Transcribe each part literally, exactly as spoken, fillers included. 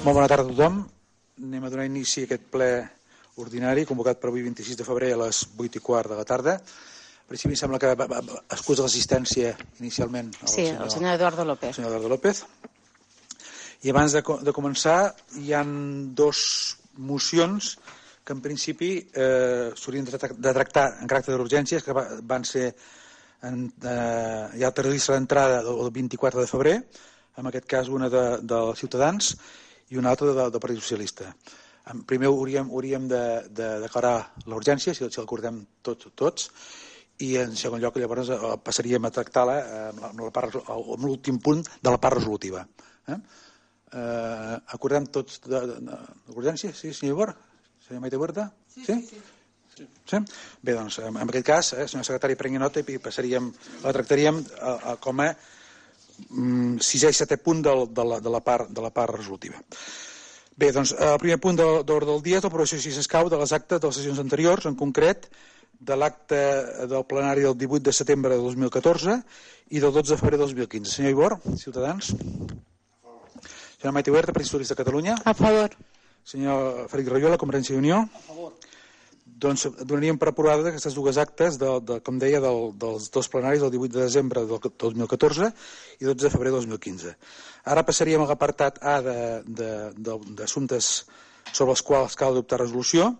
Molt bona tarda a tothom. Anem a donar inici a aquest ple ordinari convocat per avui vint-i-sis de febrer a les vuit i quart de la tarda. En principi em sembla que excusa l'assistència inicialment el sí, senyor, el senyor Eduardo López. El senyor Eduardo López. I abans de, de començar hi han dos mocions que en principi eh, s'haurien de, de tractar en caràcter d'urgències, que va, van ser en, eh, ja el termini d'entrada el vint-i-quatre de febrer, en aquest cas una de, de Ciutadans i una altra del Partit Socialista. Primer hauríem, hauríem de, de declarar l'urgència, si, si l'acordem tots, tots, i en segon lloc llavors passaríem a tractar-la amb, amb l'últim punt de la part resolutiva. Eh? Eh, acordem tots de, de, de l'urgència? Sí, senyor Ibor? Senyor Maite Huerta? Sí? Sí, sí. Sí? Sí? Bé, doncs, en aquest cas, eh, senyor secretari, prengui nota i passaríem, la tractaríem a, a, com a mm, sisè i setè punt de, de, la, de, la part, de la part resolutiva. Bé, doncs, el primer punt de l'ordre del dia és l'aprovació, si s'escau, de les actes de les sessions anteriors, en concret de l'acte del plenari del divuit de setembre de dos mil catorze i del dotze de febrer de dos mil quinze. Senyor Ibor, Ciutadans. Senyor Maite Huerta, Partit Socialista de Catalunya. A favor. Senyor Fèlix Rayola, Convergència i Unió. A favor. Doncs donaríem per aprovades aquestes dues actes, de, de, com deia, del, dels dos plenaris del divuit de desembre del dos mil catorze i dotze de febrer de dos mil quinze. Ara passaríem a l'apartat A d'assumptes sobre els quals cal adoptar resolució,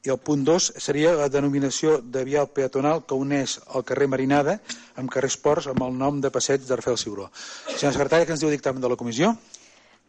i el punt dos seria la denominació de vial peatonal que uneix el carrer Marinada amb carrer Esports amb el nom de passeig de Rafael Ciuró. Senyor secretari, què ens diu el dictamen de la comissió?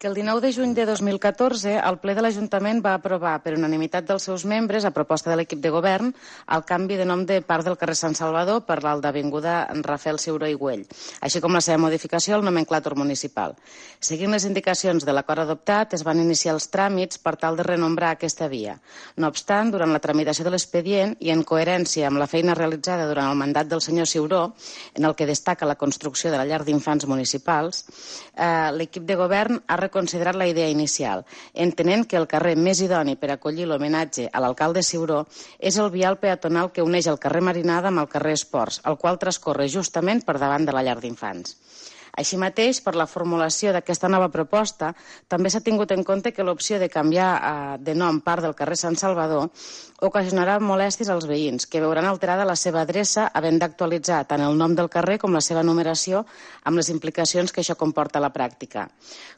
Que el dinou de juny de dos mil catorze el ple de l'Ajuntament va aprovar per unanimitat dels seus membres, a proposta de l'equip de govern, el canvi de nom de part del carrer Sant Salvador per l'alt d'avinguda Rafael Ciuró i Güell, així com la seva modificació al nomenclàtor municipal. Seguint les indicacions de l'acord adoptat, es van iniciar els tràmits per tal de renombrar aquesta via. No obstant, durant la tramitació de l'expedient i en coherència amb la feina realitzada durant el mandat del senyor Ciuró, en el que destaca la construcció de la llar d'infants municipals, eh, l'equip de govern ha considerat la idea inicial, entenent que el carrer més idoni per acollir l'homenatge a l'alcalde Ciuró és el vial peatonal que uneix el carrer Marinada amb el carrer Esports, el qual transcorre justament per davant de la llar d'infants. Així mateix, per la formulació d'aquesta nova proposta, també s'ha tingut en compte que l'opció de canviar eh, de nom part del carrer Sant Salvador ocasionarà molèsties als veïns, que veuran alterada la seva adreça havent d'actualitzar tant el nom del carrer com la seva numeració amb les implicacions que això comporta a la pràctica.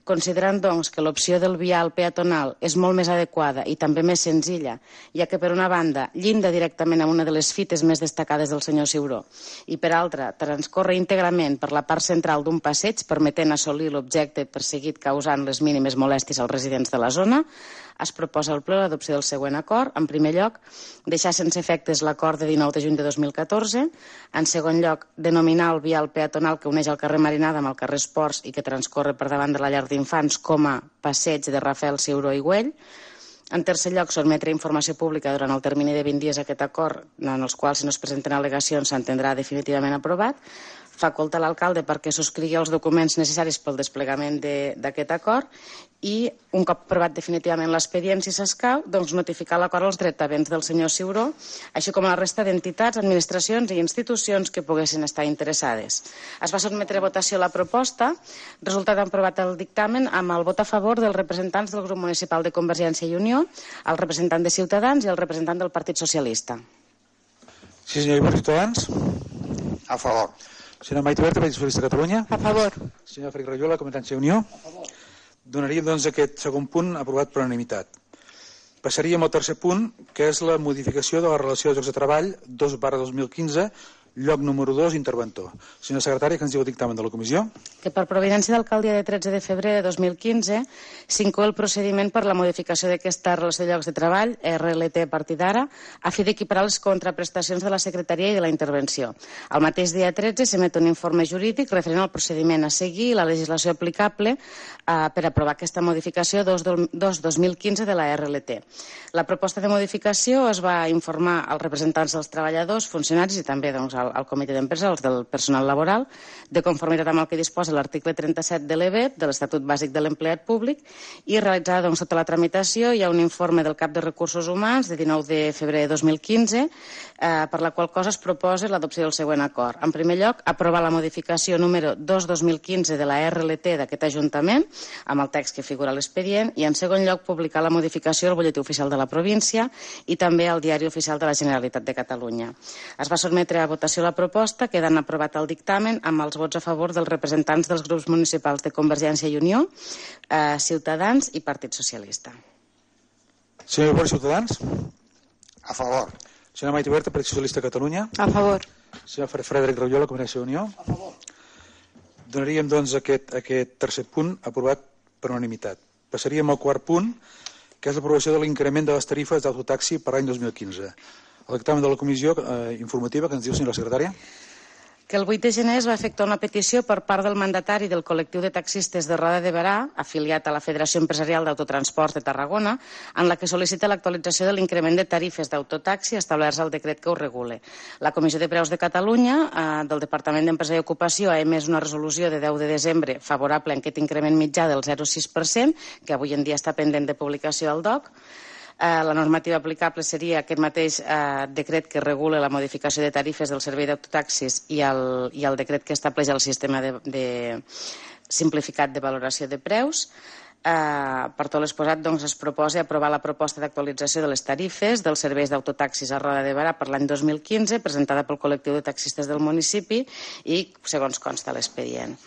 Considerant, doncs, que l'opció del vial peatonal és molt més adequada i també més senzilla, ja que, per una banda, llinda directament amb una de les fites més destacades del senyor Ciuró i, per altra, transcorre íntegrament per la part central d'un passeig, permetent assolir l'objecte perseguit causant les mínimes molèsties als residents de la zona, es proposa al ple l'adopció del següent acord. En primer lloc, deixar sense efectes l'acord de dinou de juny de dos mil catorze. En segon lloc, denominar el vial peatonal que uneix el carrer Marinada amb el carrer Esports i que transcorre per davant de la llar d'infants com a passeig de Rafael Ciuró i Güell. En tercer lloc, sotmetre informació pública durant el termini de vint dies aquest acord, en els quals, si no es presenten al·legacions, s'entendrà definitivament aprovat. Facultar l'alcalde perquè subscrigui els documents necessaris pel desplegament d'aquest acord i, un cop aprovat definitivament l'expedient, si s'escau, doncs notificar l'acord als dretavents del senyor Ciuró, així com a la resta d'entitats, administracions i institucions que poguessin estar interessades. Es va sotmetre a votació la proposta, resultat aprovat el dictamen amb el vot a favor dels representants del grup municipal de Convergència i Unió, el representant de Ciutadans i el representant del Partit Socialista. Sí, senyor Ibor, Ciutadans. A favor. Senyor Maite Huerta, Partit Socialista de Catalunya. A favor. Senyor Fèlix Rayola, Convergència i Unió. A favor. Donaríem, doncs, aquest segon punt aprovat per unanimitat. Passaríem al tercer punt, que és la modificació de la relació de llocs de treball dos barra dos mil quinze, lloc número dos, interventor. Senyor secretari, què ens diu el dictamen de la comissió? Que per providència d'alcaldia de tretze de febrer de dos mil quinze s'inclou el procediment per la modificació d'aquesta relació de llocs de treball, R L T a partir d'ara, a fi d'equiparar les contraprestacions de la secretaria i de la intervenció. El mateix dia tretze s'emet un informe jurídic referent al procediment a seguir i la legislació aplicable eh, per aprovar aquesta modificació dos dos mil quinze de la R L T. La proposta de modificació es va informar als representants dels treballadors, funcionaris i també doncs, al, al comitè d'empresa, els del personal laboral, de conformitat amb el que disposa l'article trenta-set de l'E B E P, de l'Estatut Bàsic de l'Empleat Públic, i realitzada doncs, tota la tramitació, hi ha un informe del cap de Recursos Humans de dinou de febrer de dos mil quinze, eh, per la qual cosa es proposa l'adopció del següent acord. En primer lloc, aprovar la modificació número dos dos mil quinze de la R L T d'aquest Ajuntament, amb el text que figura a l'expedient, i en segon lloc publicar la modificació al Butlletí Oficial de la Província i també al Diari Oficial de la Generalitat de Catalunya. Es va sotmetre a votació la proposta, quedant aprovat el dictamen amb els vots a favor dels representants dels grups municipals de Convergència i Unió, eh, Ciutadans i Partit Socialista. Senyor Borges, Ciutadans? A favor. Senyora Maite Huerta, Partit Socialista de Catalunya? A favor. Senyor Frederic Rajola, Convergència i Unió? A favor. Donaríem, doncs, aquest, aquest tercer punt aprovat per unanimitat. Passaríem al quart punt, que és l'aprovació de l'increment de les tarifes d'autotaxi per l'any dos mil quinze. El dictamen de la comissió eh, informativa que ens diu, senyora secretària. Que el vuit de gener es va efectuar una petició per part del mandatari del col·lectiu de taxistes de Roda de Berà, afiliat a la Federació Empresarial d'Autotransport de Tarragona, en la que sol·licita l'actualització de l'increment de tarifes d'autotaxi establerts al decret que ho regule. La Comissió de Preus de Catalunya, eh, del Departament d'Empresa i Ocupació, ha emès una resolució de deu de desembre favorable a aquest increment mitjà del zero coma sis per cent, que avui en dia està pendent de publicació al D O C. Eh, la normativa aplicable seria aquest mateix eh, decret que regula la modificació de tarifes del servei d'autotaxis i, el, i el decret que estableix el sistema de, de simplificat de valoració de preus. Eh, per tot l'exposat, doncs, es proposa aprovar la proposta d'actualització de les tarifes dels serveis d'autotaxis a Roda de Berà per l'any dos mil quinze, presentada pel col·lectiu de taxistes del municipi i segons consta l'expedient.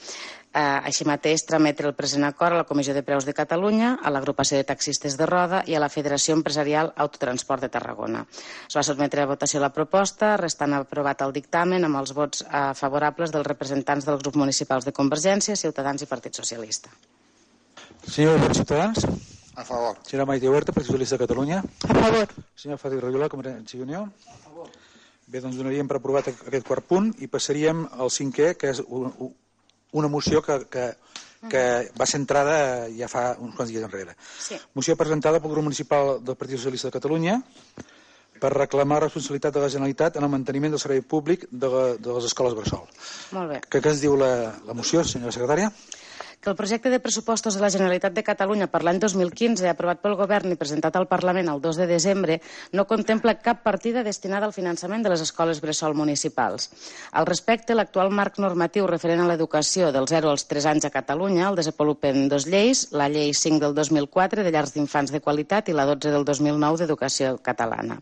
Eh, així mateix, trametre el present acord a la Comissió de Preus de Catalunya, a l'Agrupació de Taxistes de Roda i a la Federació Empresarial Autotransport de Tarragona. Es va sotmetre a votació la proposta, restant aprovat el dictamen amb els vots eh, favorables dels representants dels grups municipals de Convergència, Ciutadans i Partit Socialista. Senyor Borges, Ciutadans? A favor. Senyora Maite Huerta, Partit Socialista de Catalunya? A favor. Senyor Frederic Rajola, Convergència i Unió? A favor. Bé, doncs donaríem per aprovat aquest quart punt i passaríem al cinquè, que és un, un una moció que, que, que va ser entrada ja fa uns quants dies enrere. Sí. Moció presentada pel grup municipal del Partit Socialista de Catalunya per reclamar responsabilitat de la Generalitat en el manteniment del servei públic de, la, de les escoles bressol. Molt bé. Què es diu la, la moció, senyora secretària? Que el projecte de pressupostos de la Generalitat de Catalunya per l'any dos mil quinze, aprovat pel Govern i presentat al Parlament el dos de desembre, no contempla cap partida destinada al finançament de les escoles bressol municipals. Al respecte, l'actual marc normatiu referent a l'educació dels zero als tres anys a Catalunya el desenvolupen dos lleis, la llei cinc del dos mil quatre de llars d'infants de qualitat i la dotze del dos mil nou d'educació catalana,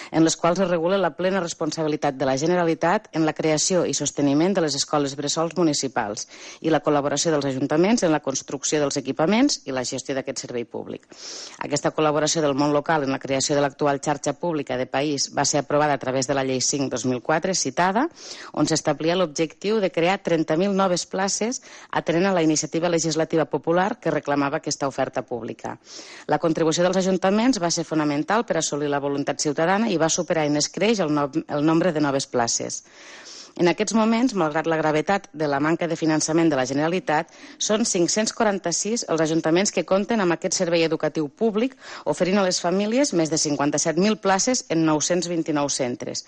en les quals es regula la plena responsabilitat de la Generalitat en la creació i sosteniment de les escoles bressols municipals i la col·laboració dels ajuntaments en la construcció dels equipaments i la gestió d'aquest servei públic. Aquesta col·laboració del món local en la creació de l'actual xarxa pública de país va ser aprovada a través de la llei cinc dos mil quatre citada, on s'establia l'objectiu de crear trenta mil noves places atenent a la iniciativa legislativa popular que reclamava aquesta oferta pública. La contribució dels ajuntaments va ser fonamental per assolir la voluntat ciutadana i va superar en escreix el, no, el nombre de noves places. En aquests moments, malgrat la gravetat de la manca de finançament de la Generalitat, són cinc-cents quaranta-sis els ajuntaments que compten amb aquest servei educatiu públic, oferint a les famílies més de cinquanta-set mil places en nou-cents vint-i-nou centres.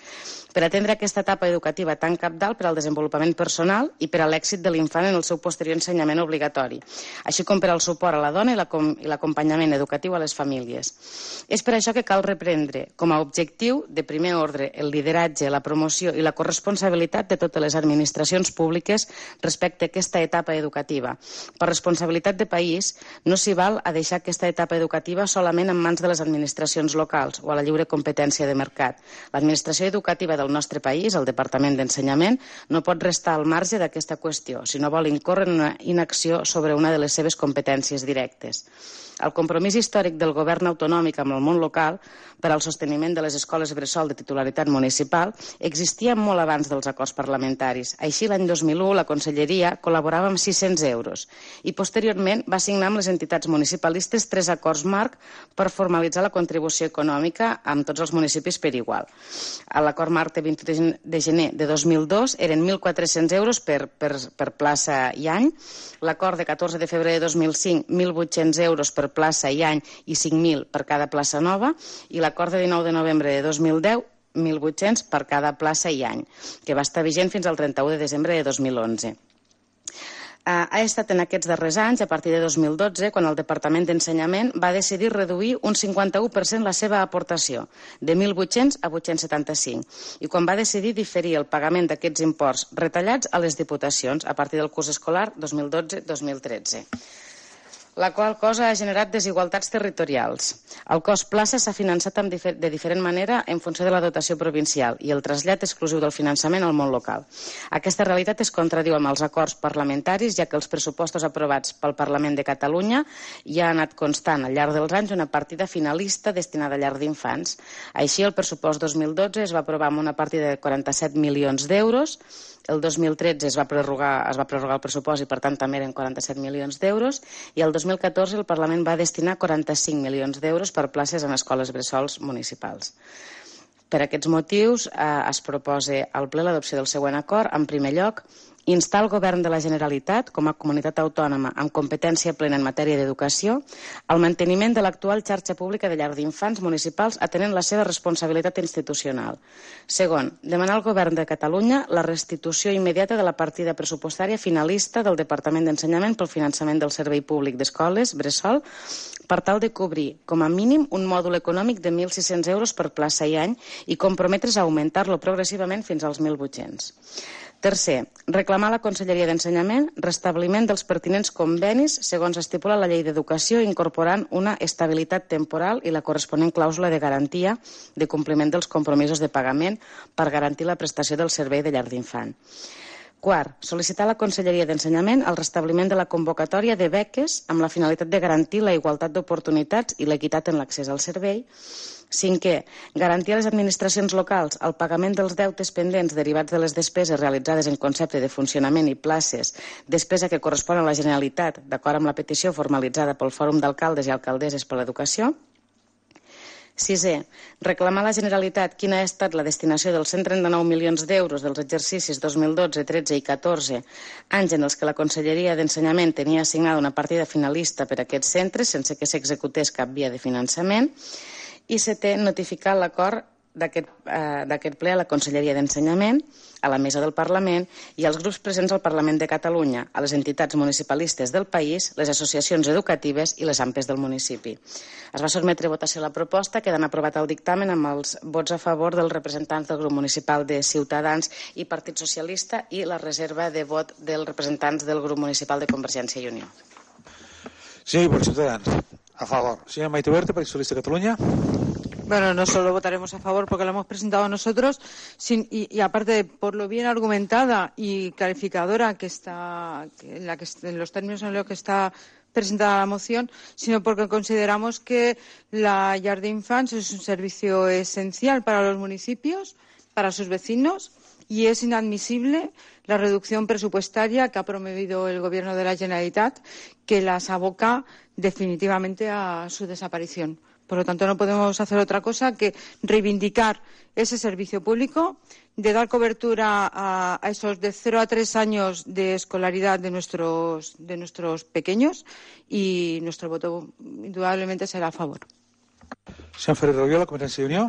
Per atendre aquesta etapa educativa tan cabdal per al desenvolupament personal i per a l'èxit de l'infant en el seu posterior ensenyament obligatori, així com per al suport a la dona i l'acompanyament educatiu a les famílies. És per això que cal reprendre com a objectiu de primer ordre el lideratge, la promoció i la corresponsabilitat de totes les administracions públiques respecte a aquesta etapa educativa. Per responsabilitat de país, no s'hi val a deixar aquesta etapa educativa solament en mans de les administracions locals o a la lliure competència de mercat. L'administració educativa del nostre país, el Departament d'Ensenyament, no pot restar al marge d'aquesta qüestió si no vol incórrer en una inacció sobre una de les seves competències directes. El compromís històric del govern autonòmic amb el món local per al sosteniment de les escoles bressol de titularitat municipal existia molt abans dels acords parlamentaris. Així, l'any dos mil u, la Conselleria col·laborava amb sis-cents euros i posteriorment va signar amb les entitats municipalistes tres acords marc per formalitzar la contribució econòmica amb tots els municipis per igual. A l'acord marc de vint de gener de dos mil dos eren mil quatre-cents euros per, per, per plaça i any, l'acord de catorze de febrer de dos mil cinc, mil vuit-cents euros per plaça i any i cinc mil per cada plaça nova, i l'acord de dinou de novembre de dos mil deu, mil vuit-cents per cada plaça i any, que va estar vigent fins al trenta-u de desembre de dos mil onze. Ha estat en aquests darrers anys, a partir de dos mil dotze, quan el Departament d'Ensenyament va decidir reduir un cinquanta-u per cent la seva aportació, de mil vuit-cents a vuit-cents setanta-cinc, i quan va decidir diferir el pagament d'aquests imports retallats a les diputacions a partir del curs escolar dos mil dotze dos mil tretze. La qual cosa ha generat desigualtats territorials. El cost plaça s'ha finançat de diferent manera en funció de la dotació provincial i el trasllat exclusiu del finançament al món local. Aquesta realitat es contradiu amb els acords parlamentaris, ja que els pressupostos aprovats pel Parlament de Catalunya ja ha anat constant al llarg dels anys una partida finalista destinada a llar d'infants. Així, el pressupost dos mil dotze es va aprovar amb una partida de quaranta-set milions d'euros, el dos mil tretze es va prorrogar, es va prorrogar el pressupost i, per tant, també eren quaranta-set milions d'euros, i el dos mil catorze el Parlament va destinar quaranta-cinc milions d'euros per places en escoles bressols municipals. Per aquests motius, eh, es proposa al ple l'adopció del següent acord. En primer lloc, instar el Govern de la Generalitat, com a comunitat autònoma amb competència plena en matèria d'educació, al manteniment de l'actual xarxa pública de llar d'infants municipals atenent la seva responsabilitat institucional. Segon, demanar al Govern de Catalunya la restitució immediata de la partida pressupostària finalista del Departament d'Ensenyament pel finançament del servei públic d'escoles bressol per tal de cobrir, com a mínim, un mòdul econòmic de mil sis-cents euros per plaça i any i comprometre's a augmentar-lo progressivament fins als mil vuit-cents. Tercer, reclamar a la Conselleria d'Ensenyament restabliment dels pertinents convenis segons estipula la Llei d'Educació, incorporant una estabilitat temporal i la corresponent clàusula de garantia de compliment dels compromisos de pagament per garantir la prestació del servei de llar d'infant. Quart, sol·licitar a la Conselleria d'Ensenyament el restabliment de la convocatòria de beques amb la finalitat de garantir la igualtat d'oportunitats i l'equitat en l'accés al servei. Cinquè, garantir a les administracions locals el pagament dels deutes pendents derivats de les despeses realitzades en concepte de funcionament i places, despesa que correspon a la Generalitat, d'acord amb la petició formalitzada pel Fòrum d'Alcaldes i Alcaldesses per l'Educació. Sisè, reclamar a la Generalitat quina ha estat la destinació dels cent trenta-nou milions d'euros dels exercicis dos mil dotze, tretze i catorze, anys en els que la Conselleria d'Ensenyament tenia assignada una partida finalista per a aquests centres sense que s'executés cap via de finançament. I setè, notificar l'acord d'aquest eh, ple a la Conselleria d'Ensenyament, a la Mesa del Parlament i als grups presents al Parlament de Catalunya, a les entitats municipalistes del país, les associacions educatives i les A M P Es del municipi. Es va sotmetre a votació la proposta, quedant aprovat el dictamen amb els vots a favor dels representants del grup municipal de Ciutadans i Partit Socialista i la reserva de vot dels representants del grup municipal de Convergència i Unió. Sí, por Ciudadanos. A favor. Señora Maite Huerta, Partido Socialista de Cataluña. Bueno, no solo votaremos a favor porque lo hemos presentado nosotros, sin, y, y aparte de por lo bien argumentada y clarificadora que está, que en, la que, en los términos en los que está presentada la moción, sino porque consideramos que la llar d'infants es un servicio esencial para los municipios, para sus vecinos, y es inadmisible la reducción presupuestaria que ha promovido el Gobierno de la Generalitat, que las aboca definitivamente a su desaparición. Por lo tanto, no podemos hacer otra cosa que reivindicar ese servicio público, de dar cobertura a, a esos de cero a tres años de escolaridad de nuestros, de nuestros pequeños, y nuestro voto indudablemente será a favor. Senyor Ferrer Roviola, Convergència i Unió.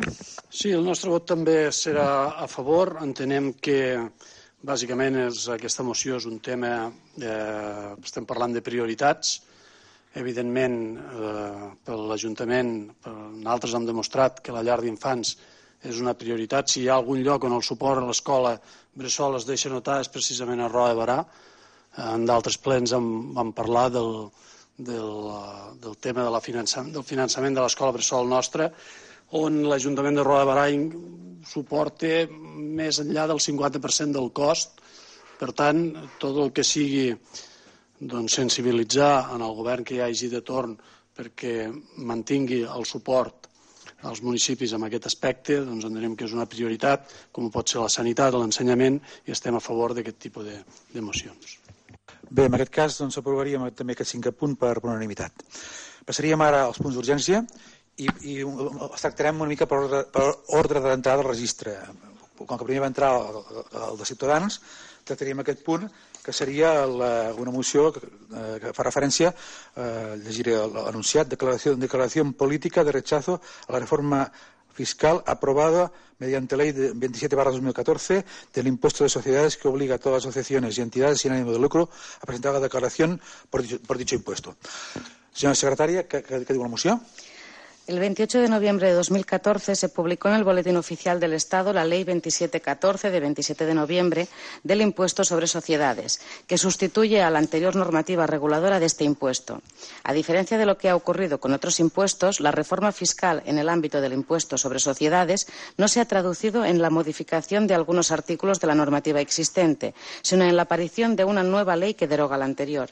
Sí, el nostre vot també serà a favor. Entenem que bàsicament és, aquesta moció és un tema, eh, estem parlant de prioritats. Evidentment, eh, per l'Ajuntament, nosaltres hem demostrat que la llar d'infants és una prioritat. Si hi ha algun lloc on el suport a l'escola bressol es deixa notar és precisament a Roda de Berà. En d'altres plens vam, vam parlar del, del, del tema de la finançament, del finançament de l'escola bressol nostra, on l'Ajuntament de Roda de Berà suporta més enllà del cinquanta per cent del cost. Per tant, tot el que sigui doncs, sensibilitzar en el govern que hi hagi de torn perquè mantingui el suport als municipis en aquest aspecte, doncs entenem que és una prioritat, com pot ser la sanitat o l'ensenyament, i estem a favor d'aquest tipus de, de mocions. Bé, en aquest cas doncs, aprovaríem també aquest cinquè punt per unanimitat. Passaríem ara als punts d'urgència i, i els tractarem una mica per ordre, per ordre d'entrada al registre. Com que primer va entrar el, el de Ciutadans, tractaríem aquest punt, que seria la, una moció que, eh, que fa referència, eh, llegiré l'anunciat, declaració, declaració política de rechazo a la reforma fiscal aprobada mediante ley de veintisiete barra dos mil catorce del impuesto de sociedades que obliga a todas las asociaciones y entidades sin ánimo de lucro a presentar la declaración por dicho, por dicho impuesto. Señora secretaria, ¿qué, qué, qué digo la moción? El veintiocho de noviembre de dos mil catorce se publicó en el Boletín Oficial del Estado la Ley veintisiete catorce de veintisiete de noviembre del Impuesto sobre Sociedades, que sustituye a la anterior normativa reguladora de este impuesto. A diferencia de lo que ha ocurrido con otros impuestos, la reforma fiscal en el ámbito del Impuesto sobre Sociedades no se ha traducido en la modificación de algunos artículos de la normativa existente, sino en la aparición de una nueva ley que deroga la anterior.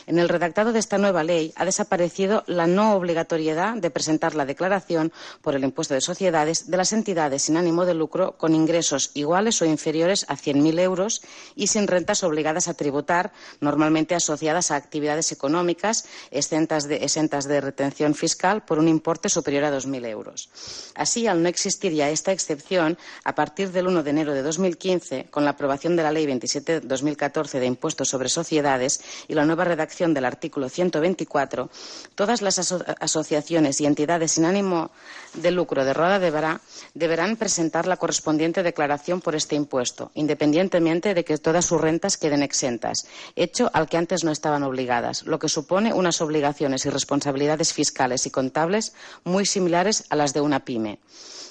En el redactado de esta nueva ley ha desaparecido la no obligatoriedad de presentar la declaración por el impuesto de sociedades de las entidades sin ánimo de lucro con ingresos iguales o inferiores a cien mil euros y sin rentas obligadas a tributar, normalmente asociadas a actividades económicas exentas de, exentas de retención fiscal por un importe superior a dos mil euros. Así, al no existir ya esta excepción, a partir del uno de enero de dos mil quince, con la aprobación de la Ley veintisiete barra dos mil catorce de Impuestos sobre Sociedades y la nueva redacción del artículo ciento veinticuatro, todas las aso asociaciones y entidades sin ánimo de lucro de Roda de Berà deberán presentar la correspondiente declaración por este impuesto, independientemente de que todas sus rentas queden exentas, hecho al que antes no estaban obligadas, lo que supone unas obligaciones y responsabilidades fiscales y contables muy similares a las de una pyme.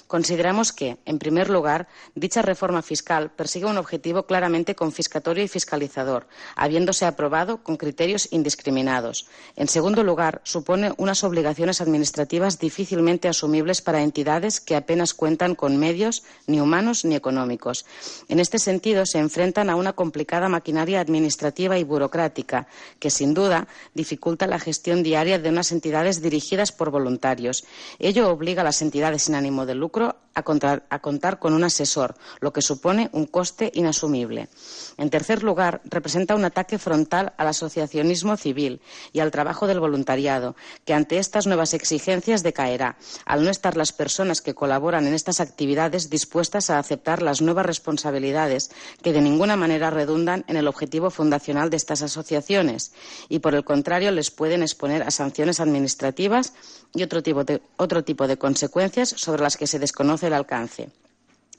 Consideramos que, en primer lugar, dicha reforma fiscal persigue un objetivo claramente confiscatorio y fiscalizador, habiéndose aprobado con criterios indiscriminados. En segundo lugar, supone unas obligaciones administrativas difícilmente asumibles para entidades que apenas cuentan con medios ni humanos ni económicos. En este sentido, se enfrentan a una complicada maquinaria administrativa y burocrática que, sin duda, dificulta la gestión diaria de unas entidades dirigidas por voluntarios. Ello obliga a las entidades sin ánimo de lucro A contar, a contar con un asesor, lo que supone un coste inasumible. En tercer lugar, representa un ataque frontal al asociacionismo civil y al trabajo del voluntariado, que ante estas nuevas exigencias decaerá, al no estar las personas que colaboran en estas actividades dispuestas a aceptar las nuevas responsabilidades que de ninguna manera redundan en el objetivo fundacional de estas asociaciones y, por el contrario, les pueden exponer a sanciones administrativas y otro tipo de, otro tipo de consecuencias sobre las que se desconoce el alcance.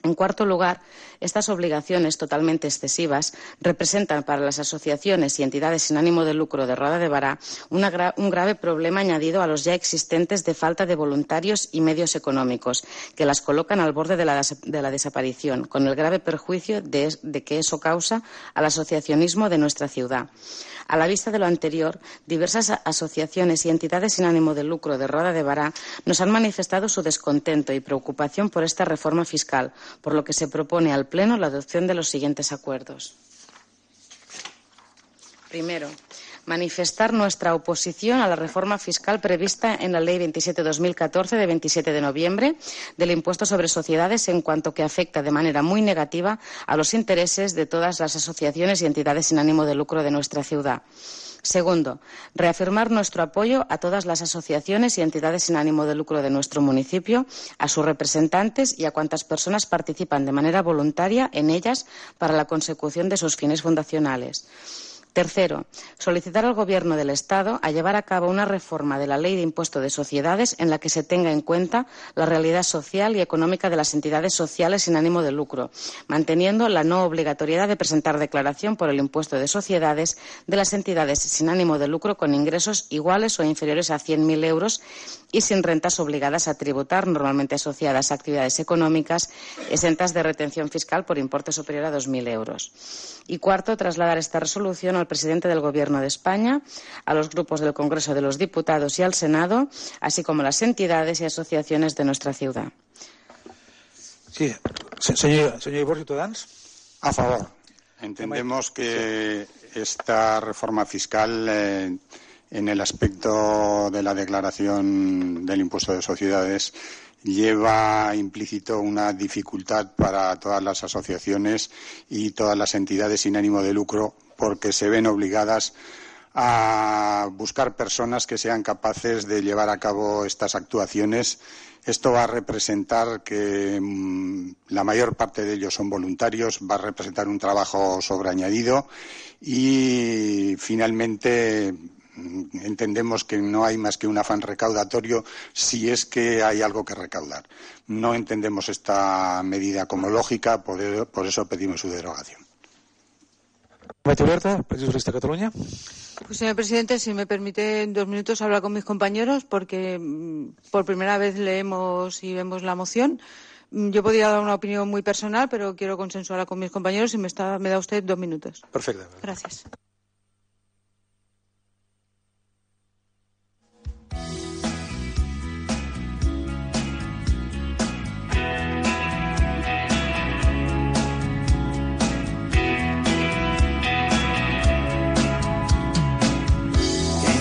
En cuarto lugar, estas obligaciones totalmente excesivas representan para las asociaciones y entidades sin ánimo de lucro de Roda de Berà una gra un grave problema añadido a los ya existentes de falta de voluntarios y medios económicos, que las colocan al borde de la, de la desaparición, con el grave perjuicio de, de que eso causa al asociacionismo de nuestra ciudad. A la vista de lo anterior, diversas asociaciones y entidades sin ánimo de lucro de Roda de Berà nos han manifestado su descontento y preocupación por esta reforma fiscal, por lo que se propone al Pleno la adopción de los siguientes acuerdos. Primero, manifestar nuestra oposición a la reforma fiscal prevista en la Ley veintisiete barra dos mil catorce de veintisiete de noviembre del impuesto sobre sociedades en cuanto que afecta de manera muy negativa a los intereses de todas las asociaciones y entidades sin ánimo de lucro de nuestra ciudad. Segundo, reafirmar nuestro apoyo a todas las asociaciones y entidades sin ánimo de lucro de nuestro municipio, a sus representantes y a cuantas personas participan de manera voluntaria en ellas para la consecución de sus fines fundacionales. Tercero, solicitar al Gobierno del Estado a llevar a cabo una reforma de la Ley de Impuesto de Sociedades en la que se tenga en cuenta la realidad social y económica de las entidades sociales sin ánimo de lucro, manteniendo la no obligatoriedad de presentar declaración por el impuesto de sociedades de las entidades sin ánimo de lucro con ingresos iguales o inferiores a cien mil euros y sin rentas obligadas a tributar, normalmente asociadas a actividades económicas exentas de retención fiscal por importe superior a dos mil euros. Y cuarto, trasladar esta resolución al presidente del Gobierno de España, a los grupos del Congreso de los Diputados y al Senado, así como a las entidades y asociaciones de nuestra ciudad. Sí, señor, señor Ibor, Ciutadans. A favor. Entendemos que esta reforma fiscal, eh, en el aspecto de la declaración del impuesto de sociedades, lleva implícito una dificultad para todas las asociaciones y todas las entidades sin ánimo de lucro, porque se ven obligadas a buscar personas que sean capaces de llevar a cabo estas actuaciones. Esto va a representar que mmm, la mayor parte de ellos son voluntarios, va a representar un trabajo sobreañadido y, finalmente, Entendemos que no hay más que un afán recaudatorio si es que hay algo que recaudar. No entendemos esta medida como lógica, por, por eso pedimos su derogación. Huerta, Partido Socialista de Cataluña. Pues, señor presidente, si me permite en dos minutos hablar con mis compañeros, porque por primera vez leemos y vemos la moción. Yo podría dar una opinión muy personal, pero quiero consensuarla con mis compañeros y me, está, me da usted dos minutos. Perfecte. Gracias.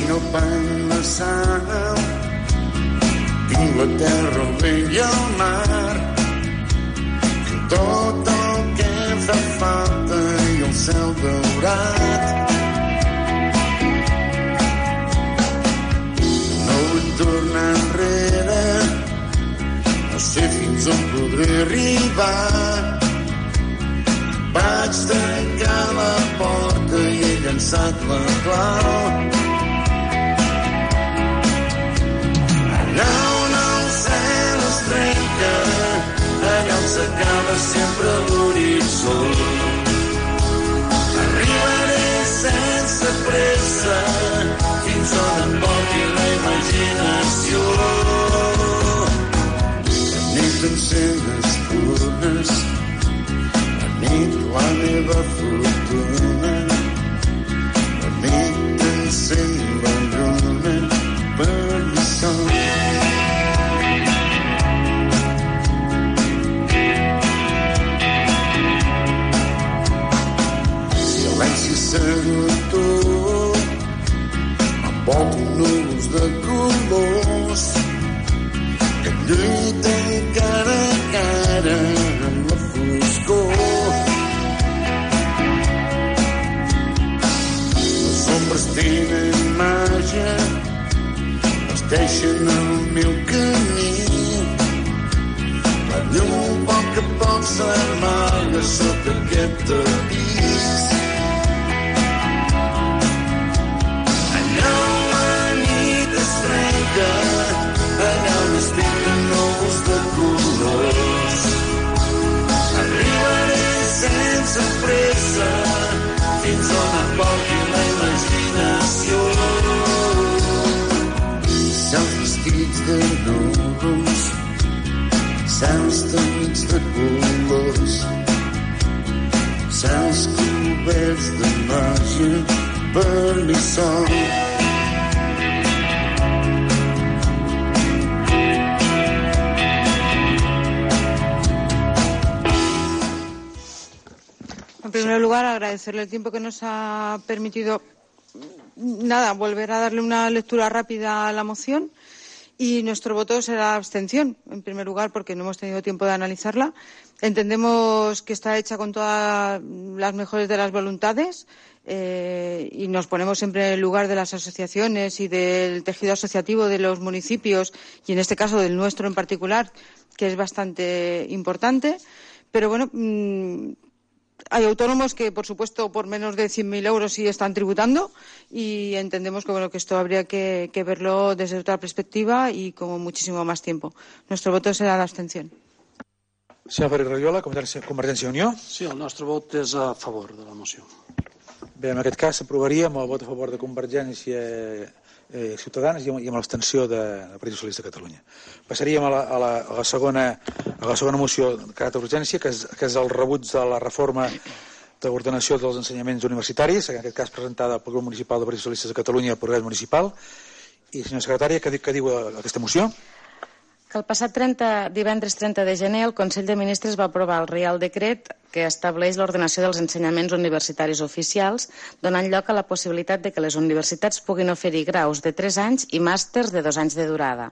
No pan de sal, tinc la terra, el vent i el mar, i tot el que fa falta i el cel daurat. No vull tornar enrere, no sé fins on podré arribar. Vaig tancar la porta i he llançat la clau. Allà on el cel es trenca, allà on s'acaba sempre l'horitzó. Arribaré sense pressa fins on em porti la imaginació. La nit encén espurnes, la nit la meva fortuna, la nit encén la lluna per mi sol. Silenci seductor, envolto núvols de colors que lluiten cara a cara amb la foscor. Les ombres tenen màgia, vesteixen el meu camí. La llum a poc a poc s'amaga sota aquest tapís. Allà on la nit es trenca, allà on es pinten núvols de colors. Arribaré sense pressa fins on em porti la imaginació. Cels vestits de núvols, cels tenyits de colors, cels coberts de màgia per mi sol. En primer lugar, agradecerle el tiempo que nos ha permitido nada, volver a darle una lectura rápida a la moción, y nuestro voto será abstención, en primer lugar, porque no hemos tenido tiempo de analizarla. Entendemos que está hecha con todas las mejores de las voluntades eh, y nos ponemos siempre en el lugar de las asociaciones y del tejido asociativo de los municipios, y en este caso del nuestro en particular, que es bastante importante. Pero bueno, mmm, hay autónomos que, por supuesto, por menos de cien mil euros sí están tributando, y entendemos que, bueno, que esto habría que, que verlo desde otra perspectiva y con muchísimo más tiempo. Nuestro voto será de abstención. Senyor Ferrer Riola, Convergència i Unió. Sí, el nostre vot és a favor de la moció. Bé, en aquest cas s'aprovaria amb el vot a favor de Convergència eh, Ciutadans i amb, i amb l'abstenció de, del Partit Socialista de Catalunya. Passaríem a la, a la, a la, segona, a la segona moció de caràcter d'urgència, que, és, que és el rebuig de la reforma d'ordenació dels ensenyaments universitaris, en aquest cas presentada pel grup municipal del Partit Socialista de Catalunya al Progrés Municipal. I, senyora secretària, què, què diu aquesta moció? Que el passat trenta, divendres trenta de gener el Consell de Ministres va aprovar el Reial Decret que estableix l'ordenació dels ensenyaments universitaris oficials, donant lloc a la possibilitat de que les universitats puguin oferir graus de tres anys i màsters de dos anys de durada.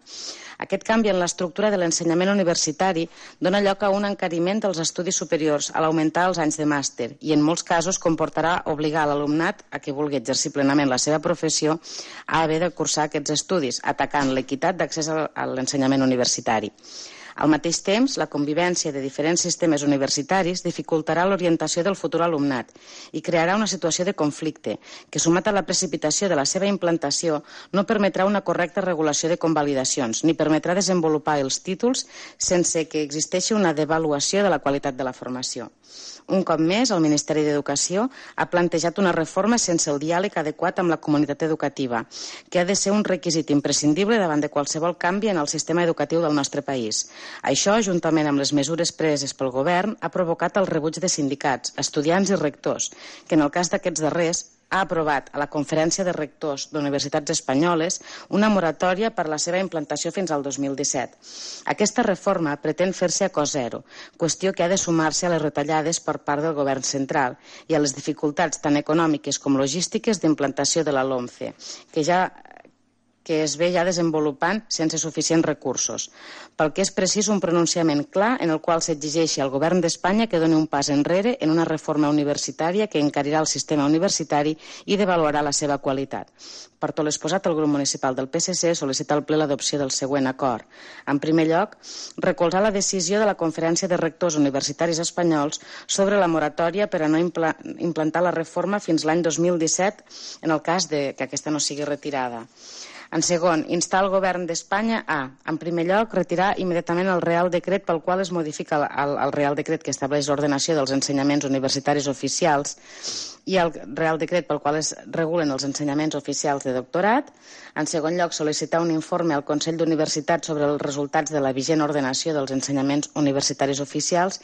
Aquest canvi en l'estructura de l'ensenyament universitari dona lloc a un encariment dels estudis superiors a l'augmentar els anys de màster, i en molts casos comportarà obligar l'alumnat a que vulgui exercir plenament la seva professió a haver de cursar aquests estudis, atacant l'equitat d'accés a l'ensenyament universitari. Al mateix temps, la convivència de diferents sistemes universitaris dificultarà l'orientació del futur alumnat i crearà una situació de conflicte que, sumat a la precipitació de la seva implantació, no permetrà una correcta regulació de convalidacions ni permetrà desenvolupar els títols sense que existeixi una devaluació de la qualitat de la formació. Un cop més, el Ministeri d'Educació ha plantejat una reforma sense el diàleg adequat amb la comunitat educativa, que ha de ser un requisit imprescindible davant de qualsevol canvi en el sistema educatiu del nostre país. Això, juntament amb les mesures preses pel govern, ha provocat el rebuig de sindicats, estudiants i rectors, que en el cas d'aquests darrers ha aprovat a la Conferència de Rectors d'Universitats Espanyoles una moratòria per la seva implantació fins al dos mil disset. Aquesta reforma pretén fer-se a cost zero, qüestió que ha de sumar-se a les retallades per part del govern central i a les dificultats tant econòmiques com logístiques d'implantació de la LOMCE, que ja que es ve ja desenvolupant sense suficients recursos, pel que és precís un pronunciament clar en el qual s'exigeixi al govern d'Espanya que doni un pas enrere en una reforma universitària que encarirà el sistema universitari i devaluarà la seva qualitat. Per tot l'exposat, el grup municipal del P S C sol·licita al ple l'adopció del següent acord. En primer lloc, recolzar la decisió de la Conferència de Rectors Universitaris Espanyols sobre la moratòria per a no impla implantar la reforma fins l'any dos mil disset en el cas de que aquesta no sigui retirada. En segon, instar el govern d'Espanya a, en primer lloc, retirar immediatament el Real Decret pel qual es modifica el, el Real Decret que estableix l'ordenació dels ensenyaments universitaris oficials i el Real Decret pel qual es regulen els ensenyaments oficials de doctorat. En segon lloc, sol·licitar un informe al Consell d'Universitats sobre els resultats de la vigent ordenació dels ensenyaments universitaris oficials.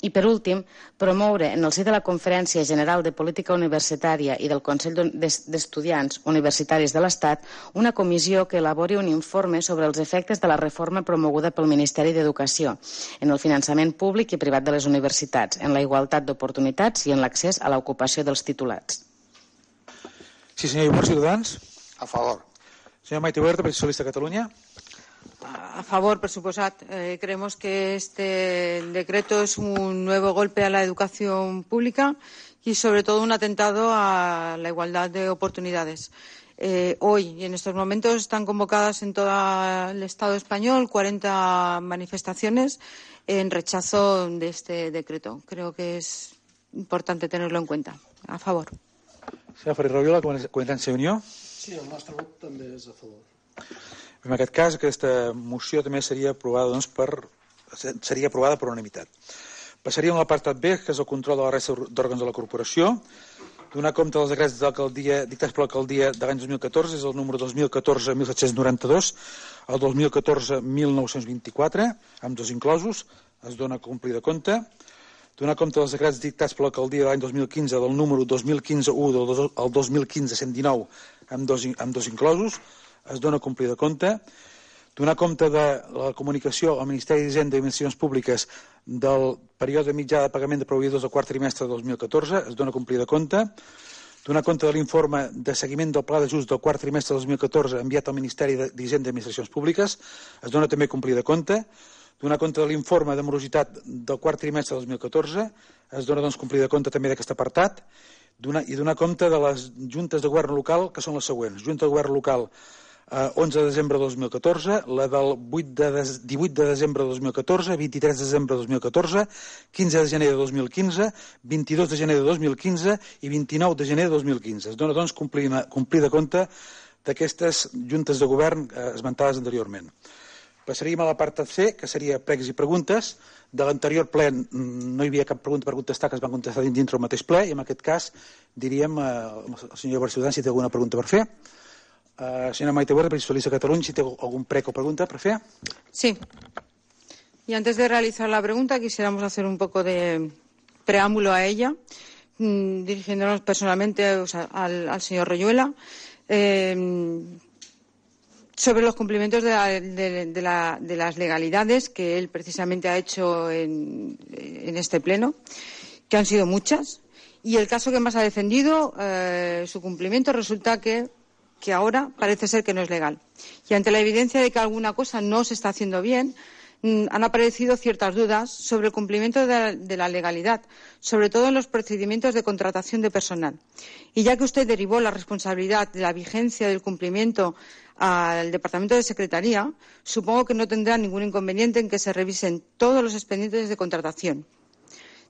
I, per últim, promoure en el si de la Conferència General de Política Universitària i del Consell d'Estudiants Universitaris de l'Estat una comissió que elabori un informe sobre els efectes de la reforma promoguda pel Ministeri d'Educació en el finançament públic i privat de les universitats, en la igualtat d'oportunitats i en l'accés a l'ocupació dels titulats. Sí, senyor Iborg, Ciutadans. A favor. Señor Maite Huerta, Partit Socialista de Catalunya. A favor, por supuesto. Eh, creemos que este decreto es un nuevo golpe a la educación pública y, sobre todo, un atentado a la igualdad de oportunidades. Eh, hoy y en estos momentos están convocadas en todo el Estado español cuarenta manifestaciones en rechazo de este decreto. Creo que es importante tenerlo en cuenta. A favor. Senyor Ferrer Roviola, Convergència i Unió. Sí, el nostre grup també és a favor. En aquest cas, aquesta moció també seria aprovada, doncs, per, seria aprovada per unanimitat. Passaríem a l'apartat B, que és el control de la resta d'òrgans de la corporació. Donar compte dels decrets d'alcaldia dictats per l'alcaldia de l'any dos mil catorze, és el número dos mil catorze mil set-cents noranta-dos, el dos mil catorze mil nou-cents vint-i-quatre, amb dos inclosos, es dona complir de compte. Donar compte dels decrets dictats per l'alcaldia de l'any dos mil quinze, del número dos mil quinze u al dos mil quinze cent dinou, amb dos, amb dos inclosos, es dona complir de compte. Donar compte de la comunicació al Ministeri d'Hisenda i Administracions Públiques del període mitjà de pagament de proveïdors del quart trimestre de dos mil catorze, es dona complir de compte. Donar compte de l'informe de seguiment del pla d'ajust del quart trimestre de dos mil catorze enviat al Ministeri d'Hisenda i Administracions Públiques, es dona també complir de compte. Donar compte de l'informe de morositat del quart trimestre de dos mil catorze, es dona doncs complir de compte també d'aquest apartat. Donar, i donar compte de les juntes de govern local, que són les següents. Junta de govern local eh, onze de desembre de dos mil catorze, la del divuit de desembre de dos mil catorze, vint-i-tres de desembre de dos mil catorze, quinze de gener de dos mil quinze, vint-i-dos de gener de dos mil quinze i vint-i-nou de gener de dos mil quinze. Es dona doncs complir, complir de compte d'aquestes juntes de govern eh, esmentades anteriorment. Passaríem a l'apartat C, que seria pregs i preguntes. De l'anterior ple no hi havia cap pregunta per contestar, que es van contestar dintre el mateix ple, i en aquest cas diríem al senyor Iborg Ciutadans si té alguna pregunta per fer. Uh, senyora Maite Huerta, Partit Socialista de Catalunya, si té algun prec o pregunta per fer. Sí. Y antes de realizar la pregunta, quisiéramos hacer un poco de preámbulo a ella, mmm, dirigiéndonos personalmente o sea, al, al señor Royuela. Eh, sobre los cumplimientos de, la, de, de, la, de las legalidades que él precisamente ha hecho en, en este pleno, que han sido muchas, y el caso que más ha defendido, eh, su cumplimiento, resulta que, que ahora parece ser que no es legal. Y ante la evidencia de que alguna cosa no se está haciendo bien, han aparecido ciertas dudas sobre el cumplimiento de la, de la legalidad, sobre todo en los procedimientos de contratación de personal. Y ya que usted derivó la responsabilidad de la vigencia del cumplimiento al Departamento de Secretaría, supongo que no tendrá ningún inconveniente en que se revisen todos los expedientes de contratación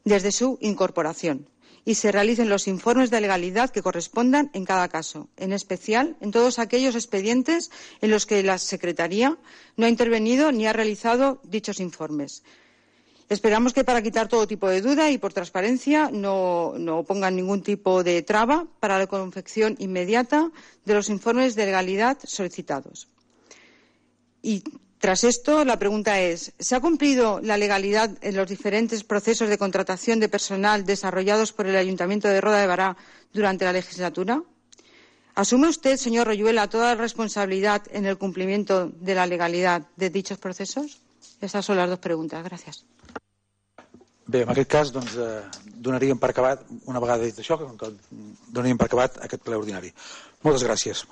desde su incorporación y se realicen los informes de legalidad que correspondan en cada caso, en especial en todos aquellos expedientes en los que la Secretaría no ha intervenido ni ha realizado dichos informes. Esperamos que para quitar todo tipo de duda y por transparencia no, no pongan ningún tipo de traba para la confección inmediata de los informes de legalidad solicitados. Y tras esto, la pregunta es, ¿se ha cumplido la legalidad en los diferentes procesos de contratación de personal desarrollados por el Ayuntamiento de Roda de Bará durante la legislatura? ¿Asume usted, señor Royuela, toda la responsabilidad en el cumplimiento de la legalidad de dichos procesos? Estas son las dos preguntas. Gracias. Bé, en aquest cas, doncs, eh, donaríem per acabat, una vegada dit això, que donaríem per acabat aquest ple ordinari. Moltes gràcies.